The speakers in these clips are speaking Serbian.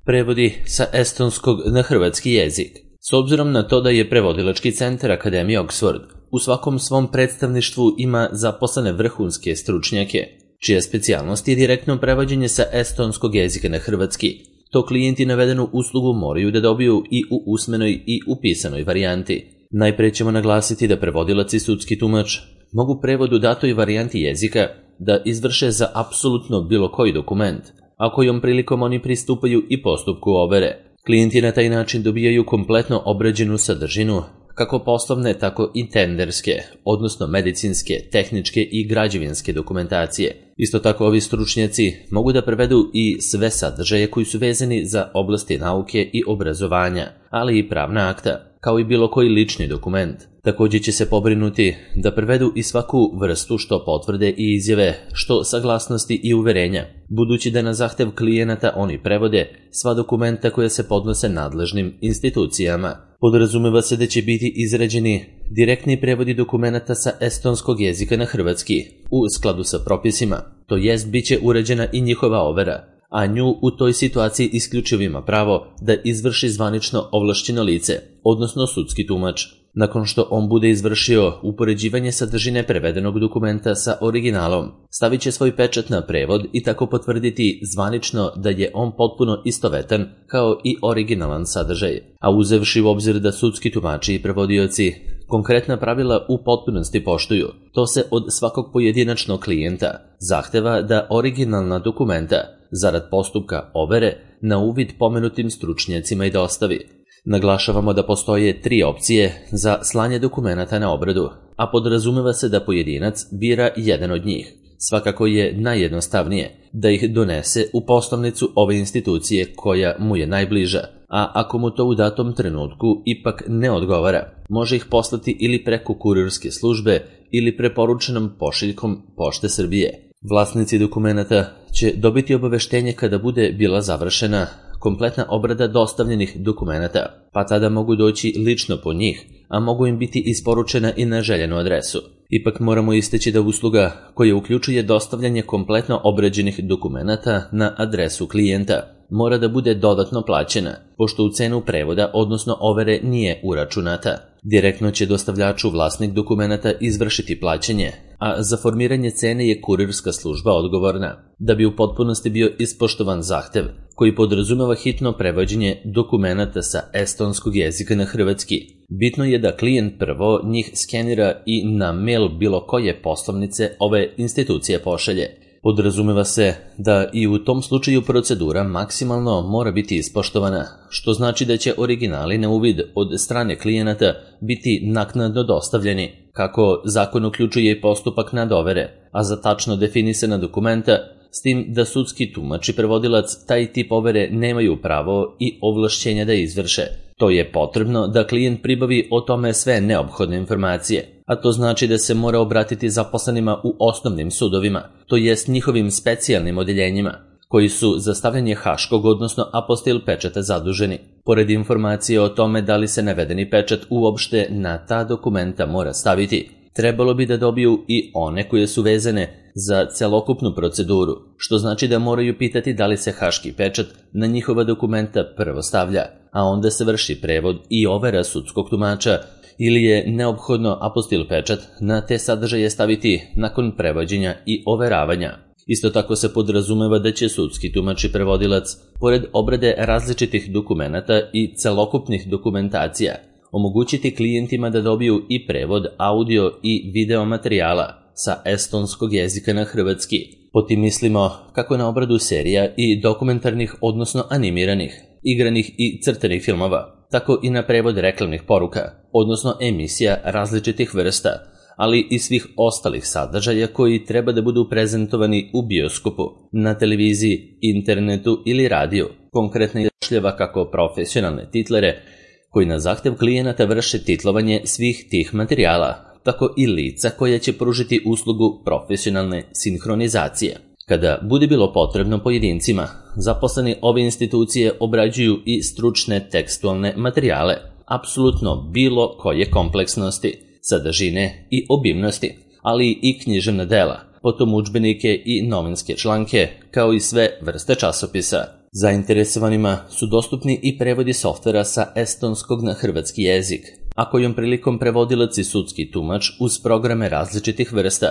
Prevodi sa estonskog na hrvatski jezik. S obzirom na to da je prevodilački centar Akademije Oxford u svakom svom predstavništvu ima zaposlene vrhunske stručnjake, čija specijalnost je direktno prevođenje sa estonskog jezika na hrvatski, to klijenti navedenu uslugu moraju da dobiju i u usmenoj i u pisanoj varijanti. Najpre ćemo naglasiti da prevodilac i sudski tumač mogu prevod u datoj varijanti jezika da izvrše za apsolutno bilo koji dokument, a kojom prilikom oni pristupaju i postupku overe. Klijenti na taj način dobijaju kompletno obrađenu sadržinu, kako poslovne, tako i tenderske, odnosno medicinske, tehničke i građevinske dokumentacije. Isto tako ovi stručnjaci mogu da prevedu i sve sadržaje koji su vezani za oblasti nauke i obrazovanja, ali i pravna akta, kao i bilo koji lični dokument. Također će se pobrinuti da prevedu i svaku vrstu što potvrde i izjave, što saglasnosti i uverenja, budući da na zahtev klijenata oni prevode sva dokumenta koja se podnose nadležnim institucijama. Podrazumeva se da će biti izrađeni direktni prevodi dokumenata sa estonskog jezika na hrvatski, u skladu sa propisima, to jest bit će uređena i njihova overa, a nju u toj situaciji isključivo ima pravo da izvrši zvanično ovlašćeno lice, odnosno sudski tumač. Nakon što on bude izvršio upoređivanje sadržine prevedenog dokumenta sa originalom, stavit će svoj pečat na prevod i tako potvrditi zvanično da je on potpuno istovetan kao i originalan sadržaj. A uzevši u obzir da sudski tumači i prevodioci konkretna pravila u potpunosti poštuju, to se od svakog pojedinačnog klijenta zahteva da originalna dokumenta, zarad postupka overe, na uvid pomenutim stručnjacima i dostavi. Naglašavamo da postoje 3 opcije za slanje dokumenata na obradu, a podrazumeva se da pojedinac bira jedan od njih. Svakako je najjednostavnije da ih donese u poslovnicu ove institucije koja mu je najbliža, a ako mu to u datom trenutku ipak ne odgovara, može ih poslati ili preko kurirske službe ili preporučenom pošiljkom Pošte Srbije. Vlasnici dokumenata će dobiti obaveštenje kada bude bila završena kompletna obrada dostavljenih dokumenata, pa tada mogu doći lično po njih, a mogu im biti isporučena i na željenu adresu. Ipak moramo istaći da usluga koja uključuje dostavljanje kompletno obrađenih dokumenata na adresu klijenta mora da bude dodatno plaćena, pošto u cenu prevoda, odnosno overe, nije uračunata. Direktno će dostavljaču vlasnik dokumenata izvršiti plaćanje, a za formiranje cene je kurirska služba odgovorna. Da bi u potpunosti bio ispoštovan zahtev, koji podrazumeva hitno prevođenje dokumenata sa estonskog jezika na hrvatski, bitno je da klijent prvo njih skenira i na mail bilo koje poslovnice ove institucije pošalje. Podrazumeva se da i u tom slučaju procedura maksimalno mora biti ispoštovana, što znači da će originali na uvid od strane klijenata biti naknadno dostavljeni, kako zakon uključuje i postupak nadovere, a za tačno definisana dokumenta, s tim da sudski tumač i prevodilac taj tip overe nemaju pravo i ovlašćenja da izvrše. To je potrebno da klijent pribavi o tome sve neophodne informacije, a to znači da se mora obratiti zaposlenima u osnovnim sudovima, to jest njihovim specijalnim odeljenjima, koji su za stavljanje haškog, odnosno apostil pečata zaduženi. Pored informacije o tome da li se navedeni pečat uopšte na ta dokumenta mora staviti, trebalo bi da dobiju i one koje su vezane za celokupnu proceduru, što znači da moraju pitati da li se haški pečat na njihova dokumenta prvo stavlja, a onda se vrši prevod i overa sudskog tumača, ili je neophodno apostil pečat na te sadržaje staviti nakon prevođenja i overavanja. Isto tako se podrazumeva da će sudski tumač i prevodilac, pored obrade različitih dokumenata i celokupnih dokumentacija, omogućiti klijentima da dobiju i prevod audio i video materijala sa estonskog jezika na hrvatski. Pod tim mislimo kako na obradu serija i dokumentarnih, odnosno animiranih, igranih i crtanih filmova, tako i na prevod reklamnih poruka, odnosno emisija različitih vrsta, ali i svih ostalih sadržaja koji treba da budu prezentovani u bioskopu, na televiziji, internetu ili radiju, konkretno izrašljava kako profesionalne titlere, koji na zahtev klijenata vrše titlovanje svih tih materijala, tako i lica koja će pružiti uslugu profesionalne sinhronizacije. Kada bude bilo potrebno pojedincima, zaposleni ove institucije obrađuju i stručne tekstualne materijale, apsolutno bilo koje kompleksnosti, sadržine i obimnosti, ali i književna dela, potom udžbenike i novinske članke, kao i sve vrste časopisa. Zainteresovanima su dostupni i prevodi softvera sa estonskog na hrvatski jezik, a kojom prilikom prevodilac i sudski tumač uz programe različitih vrsta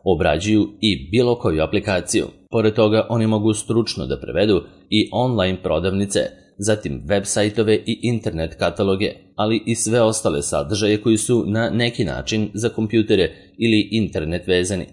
obrađuju i bilo koju aplikaciju. Pored toga, oni mogu stručno da prevedu i online prodavnice, zatim web sajtove i internet kataloge, ali i sve ostale sadržaje koji su na neki način za kompjutere ili internet vezani.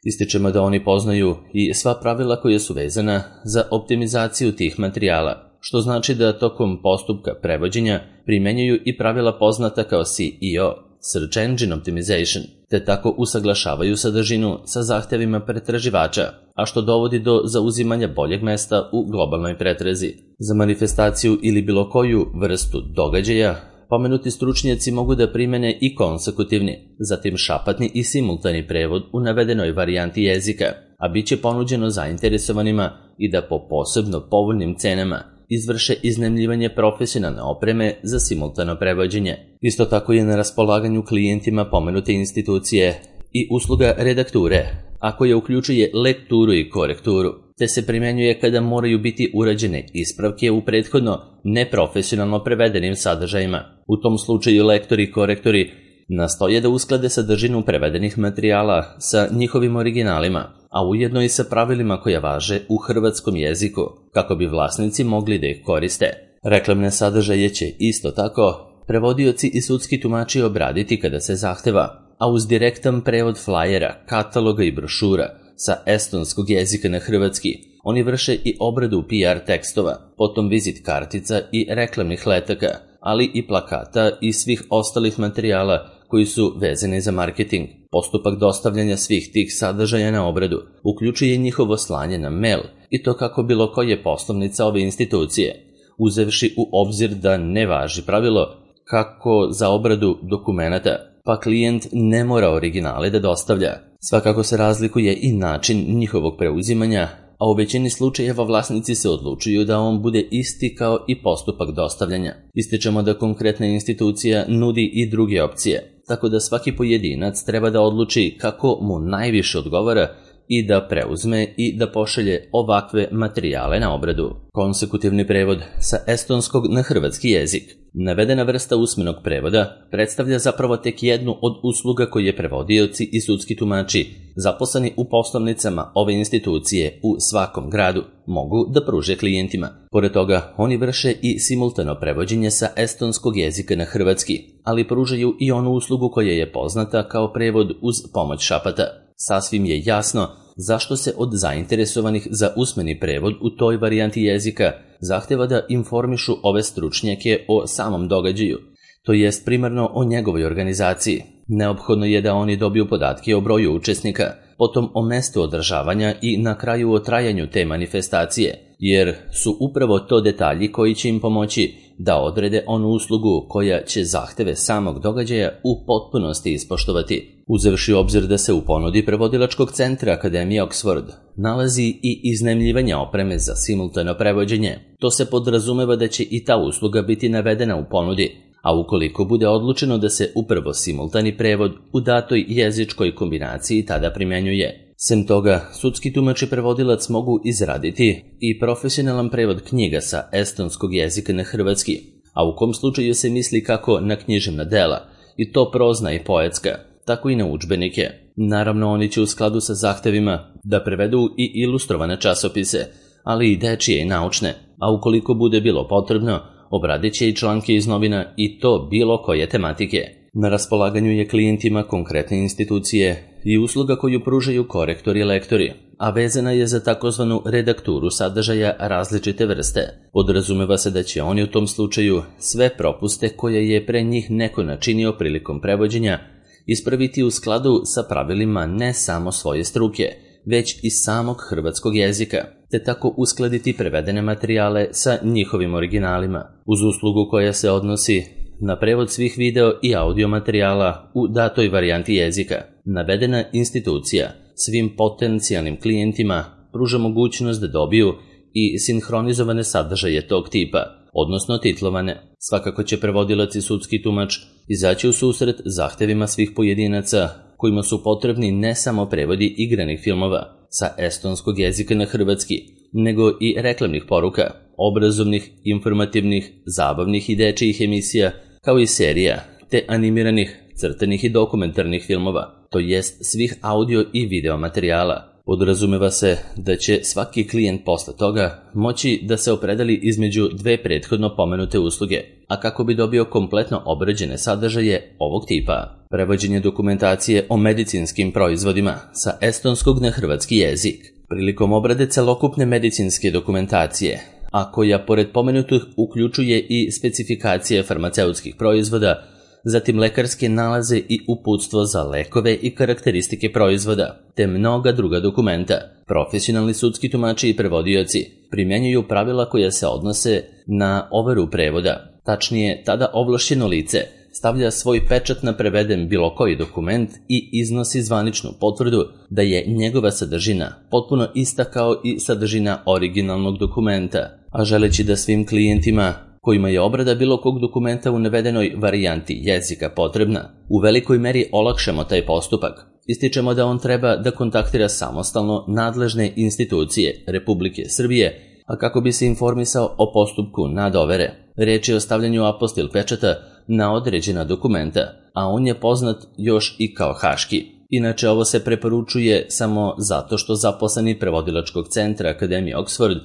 Ističemo da oni poznaju i sva pravila koja su vezana za optimizaciju tih materijala, što znači da tokom postupka prevođenja primenjuju i pravila poznata kao SEO, Search Engine Optimization, te tako usaglašavaju sadržinu sa zahtevima pretraživača, a što dovodi do zauzimanja boljeg mesta u globalnoj pretrazi. Za manifestaciju ili bilo koju vrstu događaja, pomenuti stručnjaci mogu da primene i konsekutivni, zatim šapatni i simultani prevod u navedenoj varijanti jezika, a bit će ponuđeno zainteresovanima i da po posebno povoljnim cenama izvrše iznajmljivanje profesionalne opreme za simultano prevođenje. Isto tako je na raspolaganju klijentima pomenute institucije i usluga redakture, a koja uključuje lekturu i korekturu, te se primjenjuje kada moraju biti urađene ispravke u prethodno neprofesionalno prevedenim sadržajima. U tom slučaju lektori i korektori nastoje da usklade sadržinu prevedenih materijala sa njihovim originalima, a ujedno i sa pravilima koja važe u hrvatskom jeziku, kako bi vlasnici mogli da ih koriste. Reklamne sadržaje će isto tako prevodioci i sudski tumači obraditi kada se zahteva, a uz direktan prevod flajera, kataloga i brošura sa estonskog jezika na hrvatski, oni vrše i obradu PR tekstova, potom vizit kartica i reklamnih letaka, ali i plakata i svih ostalih materijala koji su vezani za marketing. Postupak dostavljanja svih tih sadržaja na obradu uključuje njihovo slanje na mail, i to kako bilo koje poslovnica ove institucije, uzevši u obzir da ne važi pravilo kako za obradu dokumenata, pa klijent ne mora originale da dostavlja. Svakako se razlikuje i način njihovog preuzimanja, a u većini slučajeva vlasnici se odlučuju da on bude isti kao i postupak dostavljanja. Ističemo da konkretna institucija nudi i druge opcije, tako da svaki pojedinac treba da odluči kako mu najviše odgovara i da preuzme i da pošalje ovakve materijale na obradu. Konsekutivni prevod sa estonskog na hrvatski jezik. Navedena vrsta usmenog prevoda predstavlja zapravo tek jednu od usluga koje prevodioci i sudski tumači zaposleni u poslovnicama ove institucije u svakom gradu mogu da pruže klijentima. Pored toga, oni vrše i simultano prevođenje sa estonskog jezika na hrvatski, ali pružaju i onu uslugu koja je poznata kao prevod uz pomoć šapata. Sasvim je jasno zašto se od zainteresovanih za usmeni prevod u toj varijanti jezika zahteva da informišu ove stručnjake o samom događaju, to jest primarno o njegovoj organizaciji. Neophodno je da oni dobiju podatke o broju učesnika, potom o mestu održavanja i na kraju o trajanju te manifestacije, jer su upravo to detalji koji će im pomoći da odrede onu uslugu koja će zahteve samog događaja u potpunosti ispoštovati. Uzevši u obzir da se u ponudi prevodilačkog centra Akademije Oxford nalazi i iznajmljivanje opreme za simultano prevođenje, to se podrazumeva da će i ta usluga biti navedena u ponudi, a ukoliko bude odlučeno da se upravo simultani prevod u datoj jezičkoj kombinaciji tada primjenjuje. Sem toga, sudski tumač i prevodilac mogu izraditi i profesionalan prevod knjiga sa estonskog jezika na hrvatski, a u kom slučaju se misli kako na književna dela, i to prozna i poetska, tako i na udžbenike. Naravno, oni će u skladu sa zahtevima da prevedu i ilustrovane časopise, ali i dečije i naučne, a ukoliko bude bilo potrebno, obradit će i članke iz novina i to bilo koje tematike. Na raspolaganju je klijentima konkretne institucije i usluga koju pružaju korektori i lektori, a vezana je za takozvanu redakturu sadržaja različite vrste. Podrazumeva se da će oni u tom slučaju sve propuste koje je pre njih neko načinio prilikom prevođenja ispraviti u skladu sa pravilima ne samo svoje struke, već i samog hrvatskog jezika, te tako uskladiti prevedene materijale sa njihovim originalima, uz uslugu koja se odnosi na prevod svih video i audio materijala u datoj varijanti jezika. Navedena institucija svim potencijalnim klijentima pruža mogućnost da dobiju i sinhronizovane sadržaje tog tipa, odnosno titlovane. Svakako će prevodilac i sudski tumač izaći u susret zahtevima svih pojedinaca kojima su potrebni ne samo prevodi igranih filmova sa estonskog jezika na hrvatski, nego i reklamnih poruka, obrazovnih, informativnih, zabavnih i dečijih emisija, kao i serija, te animiranih, crtanih i dokumentarnih filmova, to jest svih audio i video materijala. Podrazumeva se da će svaki klijent posle toga moći da se opredeli između dve prethodno pomenute usluge, a kako bi dobio kompletno obrađene sadržaje ovog tipa. Prevođenje dokumentacije o medicinskim proizvodima sa estonskog na hrvatski jezik. Prilikom obrade celokupne medicinske dokumentacije, a koja pored pomenutih uključuje i specifikacije farmaceutskih proizvoda, zatim lekarske nalaze i uputstvo za lekove i karakteristike proizvoda, te mnoga druga dokumenta. Profesionalni sudski tumači i prevodioci primjenjuju pravila koja se odnose na overu prevoda. Tačnije, tada ovlašćeno lice stavlja svoj pečat na preveden bilo koji dokument i iznosi zvaničnu potvrdu da je njegova sadržina potpuno ista kao i sadržina originalnog dokumenta, a želeći da svim klijentima kojima je obrada bilo kog dokumenta u navedenoj varijanti jezika potrebna, u velikoj meri olakšamo taj postupak. Ističemo da on treba da kontaktira samostalno nadležne institucije Republike Srbije, a kako bi se informisao o postupku nadovere. Reč je o stavljanju apostil pečata na određena dokumenta, a on je poznat još i kao haški. Inače, ovo se preporučuje samo zato što zaposleni prevodilačkog centra Akademije Oxford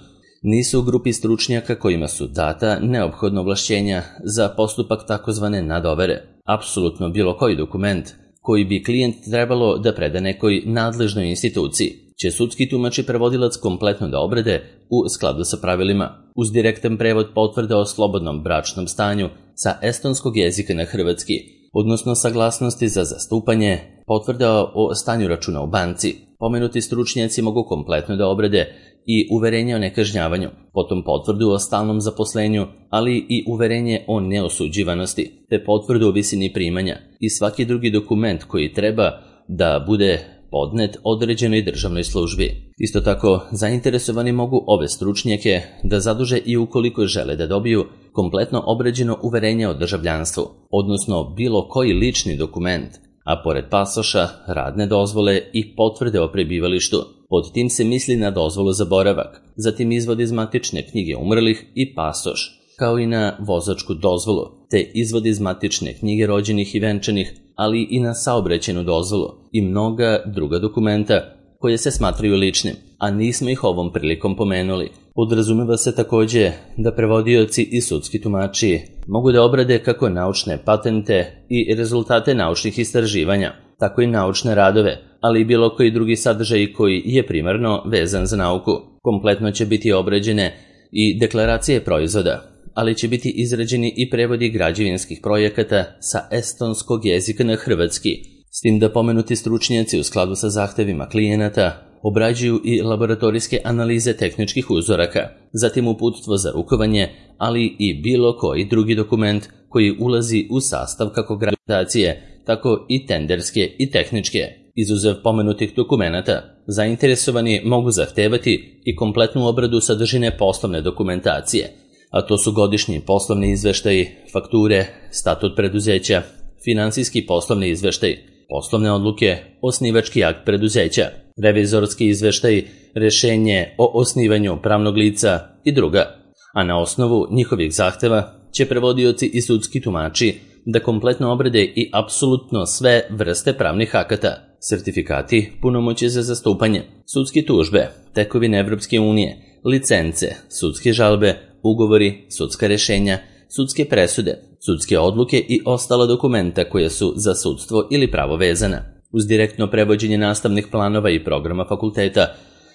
nisu u grupi stručnjaka kojima su data neophodna ovlašćenja za postupak takozvane nadovere. Apsolutno bilo koji dokument koji bi klijent trebalo da preda nekoj nadležnoj instituciji će sudski tumač i prevodilac kompletno da obrade u skladu sa pravilima, uz direktan prevod potvrde o slobodnom bračnom stanju sa estonskog jezika na hrvatski, odnosno saglasnosti za zastupanje, potvrda o stanju računa u banci. Pomenuti stručnjaci mogu kompletno da obrade i uverenje o nekažnjavanju, potom potvrdu o stalnom zaposlenju, ali i uverenje o neosuđivanosti, te potvrdu o visini primanja i svaki drugi dokument koji treba da bude podnet određenoj državnoj službi. Isto tako, zainteresovani mogu ove stručnjake da zaduže i ukoliko žele da dobiju kompletno obrađeno uverenje o državljanstvu, odnosno bilo koji lični dokument, a pored pasoša, radne dozvole i potvrde o prebivalištu. Pod tim se misli na dozvolu za boravak, zatim izvod iz matične knjige umrlih i pasoš, kao i na vozačku dozvolu, te izvod iz matične knjige rođenih i venčanih, ali i na saobraćajnu dozvolu i mnoga druga dokumenta koje se smatraju ličnim, a nismo ih ovom prilikom pomenuli. Podrazumeva se takođe da prevodioci i sudski tumači mogu da obrade kako naučne patente i rezultate naučnih istraživanja, tako i naučne radove, ali i bilo koji drugi sadržaj koji je primarno vezan za nauku. Kompletno će biti obrađene i deklaracije proizvoda, ali će biti izrađeni i prevodi građevinskih projekata sa estonskog jezika na hrvatski, s tim da pomenuti stručnjaci u skladu sa zahtevima klijenata obrađuju i laboratorijske analize tehničkih uzoraka, zatim uputstvo za rukovanje, ali i bilo koji drugi dokument koji ulazi u sastav kako građevinacije, tako i tenderske i tehničke. Izuzev pomenutih dokumenata, zainteresovani mogu zahtevati i kompletnu obradu sadržine poslovne dokumentacije, a to su godišnji poslovni izveštaji, fakture, statut preduzeća, finansijski poslovni izveštaj, poslovne odluke, osnivački akt preduzeća, revizorski izveštaj, rešenje o osnivanju pravnog lica i druga, a na osnovu njihovih zahteva će prevodioci i sudski tumači da kompletno obrade i apsolutno sve vrste pravnih akata, sertifikati, punomoćje za zastupanje, sudske tužbe, tekovine Evropske unije, licence, sudske žalbe, ugovori, sudska rešenja, sudske presude, sudske odluke i ostala dokumenta koja su za sudstvo ili pravo vezana, uz direktno prevođenje nastavnih planova i programa fakulteta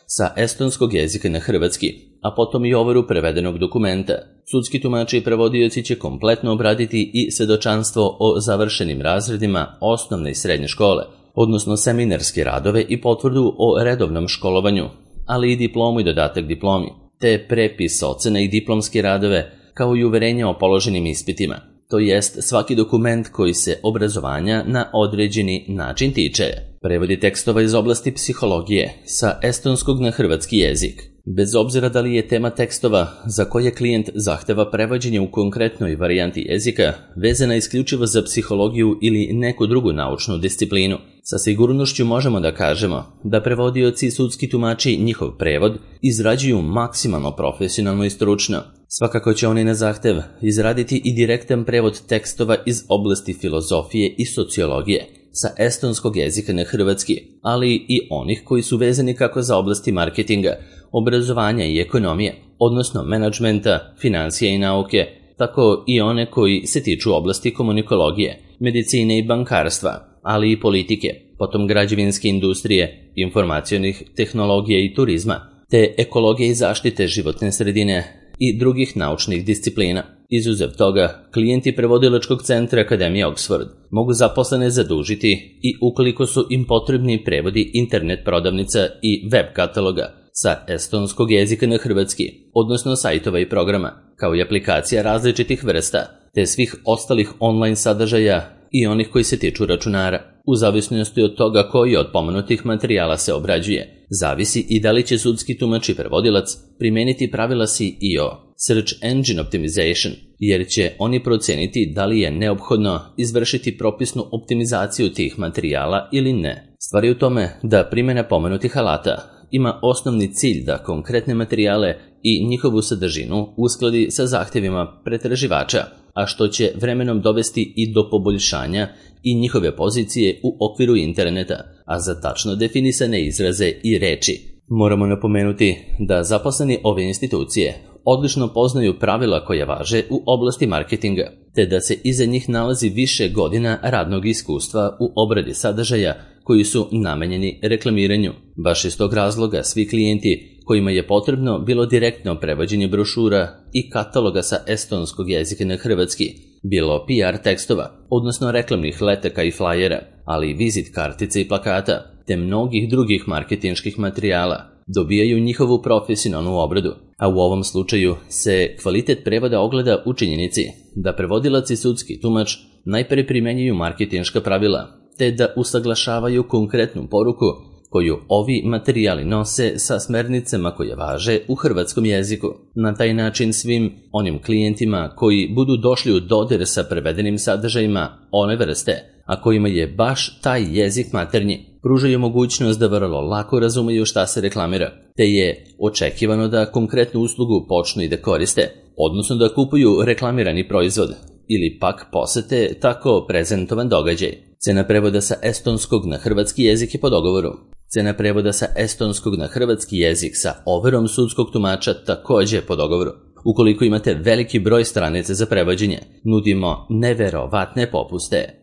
sa estonskog jezika na hrvatski, a potom i overu prevedenog dokumenta. Sudski tumači i prevodioci će kompletno obraditi i svedočanstvo o završenim razredima osnovne i srednje škole, odnosno seminarske radove i potvrdu o redovnom školovanju, ali i diplomu i dodatak diplomi, te prepis ocena i diplomske radove, kao i uverenja o položenim ispitima, to jest svaki dokument koji se obrazovanja na određeni način tiče. Prevodi tekstova iz oblasti psihologije sa estonskog na hrvatski jezik. Bez obzira da li je tema tekstova za koje klijent zahteva prevođenje u konkretnoj varijanti jezika vezana isključivo za psihologiju ili neku drugu naučnu disciplinu, Sa sigurnošću možemo da kažemo da prevodioci i sudski tumači njihov prevod izrađuju maksimalno profesionalno i stručno. Svakako će oni na zahtev izraditi i direktan prevod tekstova iz oblasti filozofije i sociologije sa estonskog jezika na hrvatski, ali i onih koji su vezani kako za oblasti marketinga, obrazovanja i ekonomije, odnosno menadžmenta, financija i nauke, tako i one koji se tiču oblasti komunikologije, medicine i bankarstva, ali i politike, potom građevinske industrije, informacionih tehnologija i turizma, te ekologije i zaštite životne sredine i drugih naučnih disciplina. Izuzev toga, klijenti prevodilačkog centra Akademije Oxford mogu zaposlene zadužiti i ukoliko su im potrebni prevodi internet prodavnica i web kataloga sa estonskog jezika na hrvatski, odnosno sajtova i programa, kao i aplikacija različitih vrsta, te svih ostalih online sadržaja i onih koji se tiču računara. U zavisnosti od toga koji od pomenutih materijala se obrađuje, zavisi i da li će sudski tumač i prevodilac primeniti pravila SEO, Search Engine Optimization, jer će oni proceniti da li je neophodno izvršiti propisnu optimizaciju tih materijala ili ne. Stvar je u tome da primjena pomenutih alata ima osnovni cilj da konkretne materijale i njihovu sadržinu uskladi sa zahtjevima pretraživača, a što će vremenom dovesti i do poboljšanja i njihove pozicije u okviru interneta, a za tačno definisane izraze i reči. Moramo napomenuti da zaposleni ove institucije odlično poznaju pravila koja važe u oblasti marketinga, te da se iza njih nalazi više godina radnog iskustva u obradi sadržaja koji su namenjeni reklamiranju. Baš iz tog razloga svi klijenti kojima je potrebno bilo direktno prevođenje brošura i kataloga sa estonskog jezika na hrvatski, bilo PR tekstova, odnosno reklamnih letaka i flajera, ali i vizit kartice i plakata, te mnogih drugih marketinških materijala, dobijaju njihovu profesionalnu obradu, a u ovom slučaju se kvalitet prevoda ogleda u činjenici da prevodilac i sudski tumač najpre primenjuju marketinška pravila, te da usaglašavaju konkretnu poruku koju ovi materijali nose sa smernicama koje važe u hrvatskom jeziku. Na taj način svim onim klijentima koji budu došli u dodir sa prevedenim sadržajima one vrste, a kojima je baš taj jezik maternji, pružaju mogućnost da vrlo lako razumeju šta se reklamira, te je očekivano da konkretnu uslugu počnu i da koriste, odnosno da kupuju reklamirani proizvod, ili pak posete tako prezentovan događaj. Cena prevoda sa estonskog na hrvatski jezik je po dogovoru. Cena prevoda sa estonskog na hrvatski jezik sa overom sudskog tumača također po dogovoru. Ukoliko imate veliki broj stranica za prevođenje, nudimo neverovatne popuste.